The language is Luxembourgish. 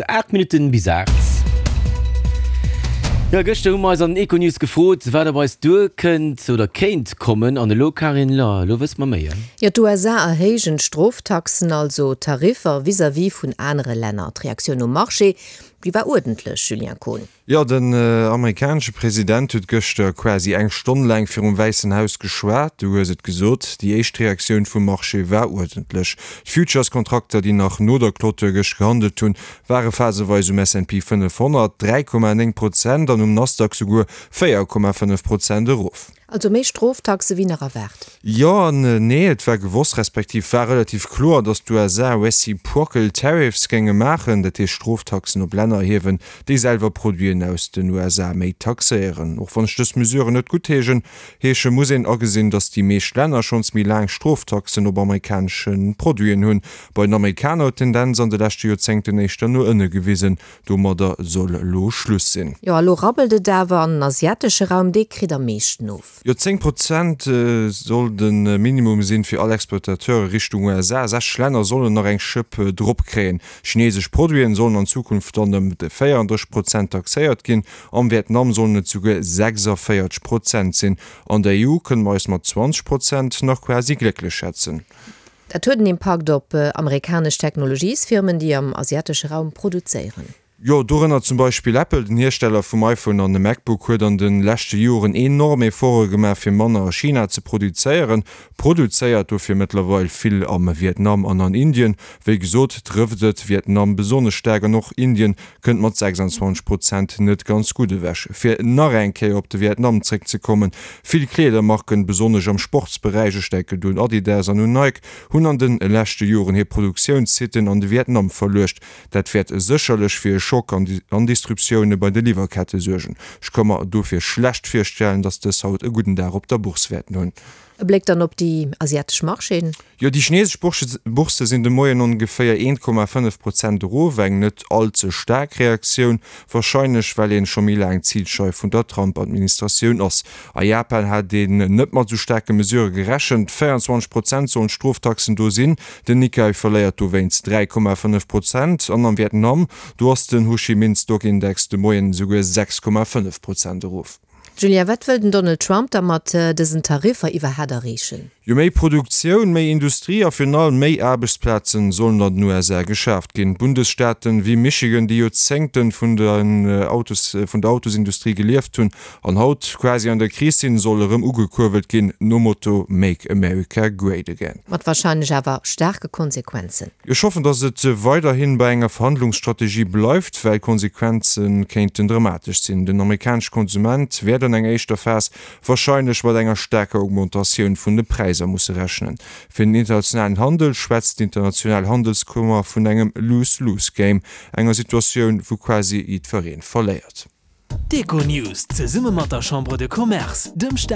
8 Minutten bis 8. Jo, gëschter hu mer eis an den Econews gefrot, wat op eis duerkënnt oder kéint kommen. An elo, Karin, lo, elo wësse mer méi, hein? Jo, d'USA erhéijen d'Stroftaxen, also Tariffer vis-à-vis vun anere Länner. D'Reaktioun um Marché, déi war uerdentlech, Julien Kohn. Jo, den amerikanesche President huet gëschter quasi eng Stonn laang virum Wäissen Haus geschwat. Du hues et gesot, déi éischt Reaktioun vum Marché war uerdentlech. D'Futures-Kontrakter, déi nach no der Clôture gëscht gehandelt hunn, ware phaseweis um S&P 500 3,9 Prozent an um Nasdaq souguer 4,5 Prozent erof. Also méi Stroftaxe wéi nach erwaart? Jo an nee. Et war gewosst, respektiv war relativ kloer, datt d'USA reciprocal tariffs géinge maachen, dat heescht Stroftaxen op Länner erhiewen, déi selwer Produiten aus den USA méi taxéieren. Och wann ech dës Mesuren net guttheeschen, heesche muss een agesinn, datt déi meescht Länner schonns méi laang Stroftaxen op amerikanesche Produiten hunn. Bei den Amerikaner huet d'Tendenz an de leschte Joerzéngten éischter no ënne gewisen. Domadder soll elo Schluss sinn. Jo, a lo rabbelt et awer an den asiatesche Raum, dee kritt am meeschten of. Jo, 10 Prozent soll de Minimum sinn fir all Exportateure Richtung USA. 60 Länner sollen nach eng Schëpp drop kréien. Chinesesch Produiten sollen an Zukunft dann ëm 34 Prozent taxéiert ginn. Am Vietnam sollen et souguer 46 Prozent sinn. An der EU kënne mer eis mat 20 Prozent nach quasi glécklech schätzen. Dat huet en Impakt op amerikanesch Technologiesfirmen, déi am asiatesche Raum produzéieren. Jo, dorënner zum Beispill Apple. Den Hiersteller vum iPhone an dem MacBook huet an de leschte Joren enorm Efforte gemaach, fir manner a China ze produzéieren. Produzéiert dofir mëttlerweil vill am Vietnam an an Indien. Wéi gesot trëfft et Vietnam besonnesch staark an och Indien kënnt mat 26 Prozent net ganz gutt ewech. Fir nach eng Kéier op de Vietnam zréckzekommen, Vill Kleedermarken, besonnesch am Sportsberäich, ech denken do un Adidas an un Nike, hunn an de leschte Joren hir Produktiounssitten an de Vietnam verluecht. Dat wäert sécherlech fir e Schock an Disruptioune bei de Liwwerkette suergen. Ech ka mer dofir schlecht virstellen, datt dës haut e gudden Dag op der Bourse wäerten hunn. E Bléck dann op déi asiatesch Marchéen. Jo, déi chinesesch Boursse sinn de Moien ongeféier 1,5 Prozent erof, eng net all ze staark Reaktioun, warscheinlech well een scho méi laang Zilscheif vun der Trump-Administratioun ass. A Japan hat een net mat esou staarke Mesurë gerechent, 24 Prozent sollen d'Stroftaxen do sinn, den Nikkei verléiert dowéinst 3,5 Prozent an am Vietnam, do ass den Ho Chi Minh Stock Index de Moien esouguer 6,5 Prozent erof. Julien, wat wëll den Donald Trump da mat dësen Tariffer iwwerhaat erreechen? Jo, méi Produktioun, méi Industrie a virun allem méi Aarbechtsplazen sollen an den USA geschaaft ginn. Bundesstaaten wéi Michigan, déi Joerzéngten vun den Autos, vun der Autosindustrie gelieft hunn an haut quasi an der Kris sinn, solle rëm ugekuerbelt ginn, nom Motto Make America Great Again. Mat wahrscheinlech awer staarke Konsequenzen. Ech hoffen, datt et weiderhi bei enger Verhandlungsstrategie bleift, well d'Konsequenze kéinten dramatesch sinn. Den amerikanesche Konsument wäert an enger éischter Phas warscheinlech mat enger staarker Augmentatioun vun de Präisser musse rechnen. Fir den internationalen Handel schwätzt d'international Handelskummer vun engem Lose-lose-Game, enger Situatioun, wou quasi jiddweree verléiert. D'Econews zesumme mat der Chambre de Commerce, dem Staat.